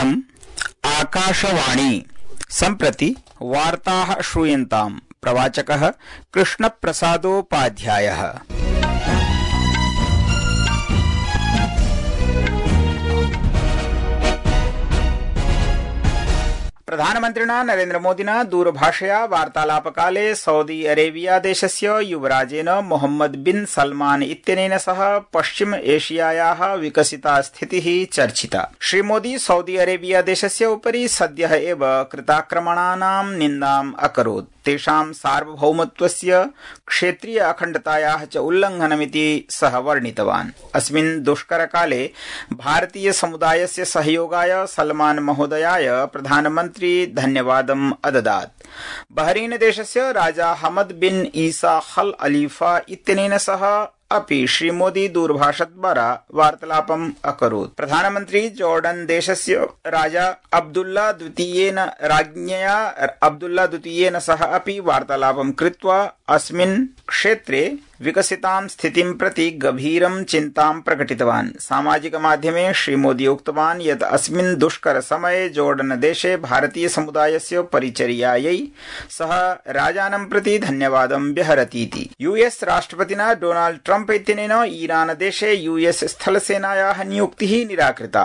इयम् आकाशवाणी सम्प्रति वार्ताः श्रूयन्ताम्। प्रवाचकः कृष्णप्रसादोपाध्यायः। प्रधानमन्त्रिणा नरेन्द्रमोदिना दूरभाषया वार्तालापकाले सऊदी अरेबिया देशस्य युवराजेन मोहम्मद बिन सलमान इत्यनेन सह पश्चिम एशियायाः विकसिता स्थितिः चर्चिता। श्रीमोदी सऊदी अरेबिया देशस्य उपरि सद्यः एव कृताक्रमणानां निन्दाम् अकरोत्। तेषां सार्वभौमत्वस्य क्षेत्रीय अखण्डतायाः च उल्लङ्घनमिति सः वर्णितवान्। अस्मिन् दुष्करकाले भारतीय समुदायस्य सहयोगाय सलमान महोदयाय प्रधानमन्त्री धन्यवादम् अददात्। बहरीन देशस्य राजा हमद बिन ईसा अल खलीफा इत्यनेन सह अपि श्रीमोदी दूरभाषद्वारा वार्तालापम् अकरोत्। प्रधानमन्त्री जॉर्डन देशस्य राजा अब्दुल्ला द्वितीयेन सह अपि वार्तालापं कृत्वा अस्मिन् क्षेत्रे विकसितां स्थितिं प्रति गभीरं चिन्तां प्रकटितवान्। सामाजिक माध्यमे श्रीमोदी उक्तवान् यत् अस्मिन् दुष्कर समये जॉर्डन देशे भारतीय समुदायस्य परिचर्यायै सः राजानं प्रति धन्यवादं व्यहरतीति। यूएस राष्ट्रपतिना डोनाल्ड ट्रम्प इत्यनेन ईरान देशे यूएस स्थलसेनायाः नियुक्तिः निराकृता।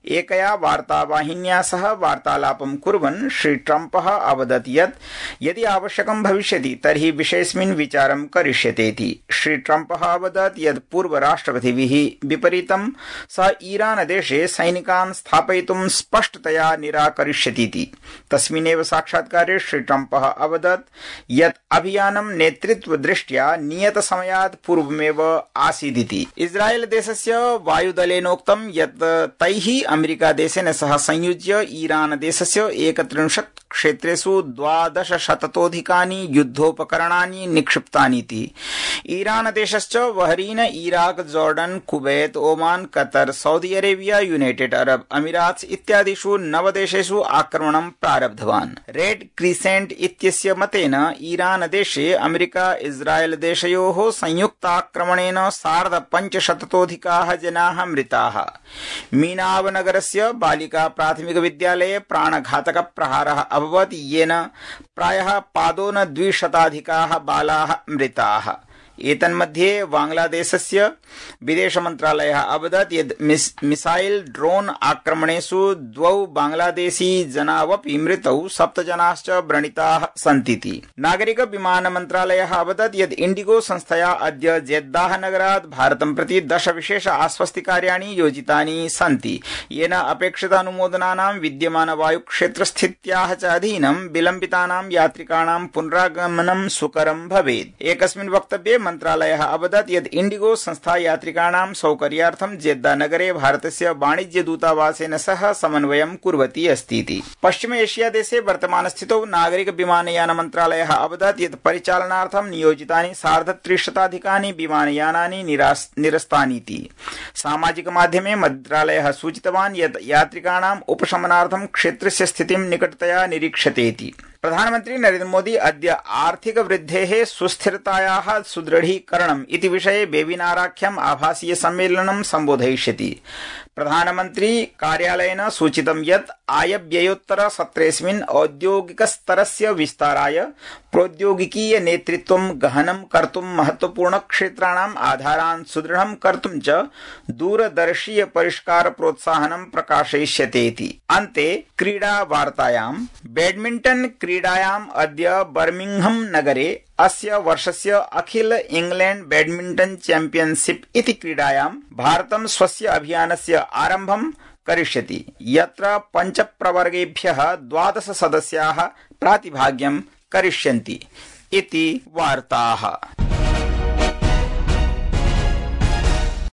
एकया वार्तावाहिन्या सह वार्तालापं कुर्वन् श्री ट्रम्पः अवदत् यत् यदि आवश्यकं भविष्यति तर्हि विषयेऽस्मिन् विचारं करिष्यतेति। श्री ट्रम्पः अवदत् यत् पूर्वराष्ट्रपतिभिः विपरीतं सः ईरान देशे सैनिकान् स्थापयितुं स्पष्टतया निराकरिष्यतीति। तस्मिन्नेव साक्षात्कारे श्री ट्रम्पः अवदत् यत् अभियानं नेतृत्वदृष्ट्या नियतसमयात् पूर्वमेव आसीदिति। इस्राएल देशस्य वायुदलेनोक्तं यत् तैः अमेरिका देशेन सह संयुज्य ईरान देशस्य 31 क्षेत्रेषु 12,000 युद्धोपकरणानि निक्षिप्तानीति। ईरान देशश्च Bahrain, Iraq, Jordan, Kuwait, Oman, Qatar, Saudi Arabia, United Arab Emirates इत्यादिषु 9 देशेषु आक्रमणं प्रारब्धवान्। रेड क्रिसेंट इत्यस्य मतेन ईरान देशे अमेरिका इस्राएल देशयोः संयुक्ताक्रमणेन 550 जनाः मृताः। मीनावनगरस्य बालिका प्राथमिक विद्यालये प्राणघातक प्रहारः अभवत्, येन प्रायः पादोन 200 बालाः मृताः। एतन्मध्ये बांग्लादेशस्य विदेशमन्त्रालयः अवदत् यत् मिसाइल ड्रोन आक्रमणेषु 2 बांग्लादेशी जनावपि मृतौ, 7 जनाश्च व्रणिताः सन्तीति। नागरिक विमान मन्त्रालयः अवदत् यत् इण्डिगो संस्थया अद्य जेद्दाह नगरात् भारतं प्रति 10 विशेष आश्वस्तिकार्याणि योजितानि सन्ति, येन अपेक्षितानुमोदनानां विद्यमान वायुक्षेत्रस्थित्याः च अधीनं विलम्बितानां यात्रिकाणां पुनरागमनं सुकरं भवेत्। एकस्मिन् वक्तव्ये मन्त्रालयः अवदत् यत् इण्डिगो संस्था यात्रिकाणां सौकर्यार्थं जेद्दा नगरे भारतस्य वाणिज्य दूतावासेन सह समन्वयं कुर्वती अस्तीति। पश्चिम एशिया देशे वर्तमानस्थितौ नागरिक विमानयान मन्त्रालयः अवदत् यत् परिचालनार्थं नियोजितानि 350 विमानयानानि निरस्तानीति। सामाजिक माध्यमे मन्त्रालयः सूचितवान् यत् यात्रिकाणाम् उपशमनार्थं क्षेत्रस्य स्थितिं निकटतया निरीक्षतेति। प्रधानमन्त्री नरेन्द्र मोदी अद्य आर्थिक वृद्धेः सुस्थिरतायाः सुदृढीकरणम् इति विषये वेबिनाराख्यम् आभासीय सम्मेलनं सम्बोधयिष्यति। प्रधानमन्त्री कार्यालयेन सूचितं यत् आयव्ययोत्तर सत्रेऽस्मिन् औद्योगिकस्तरस्य विस्ताराय प्रौद्योगिकीय नेतृत्वं गहनं कर्तुं महत्वपूर्ण क्षेत्राणाम् आधारान् सुदृढं कर्तुं च दूरदर्शीय परिष्कार प्रोत्साहनं प्रकाशयिष्यतेति। अन्ते क्रीडा वार्तायां बैडमिण्टन क्रीडायाम् अद्य बर्मिंघम नगरे अस्य वर्षस्य अखिल इंग्लैंड बैडमिण्टन चैंपियनशिप इति क्रीडायां भारतं स्वस्य अभियानस्य आरम्भं करिष्यति, यत्र 5 प्रवर्गेभ्यः 12 सदस्याः प्रातिभाग्यं करिष्यन्ति इति वार्ताः।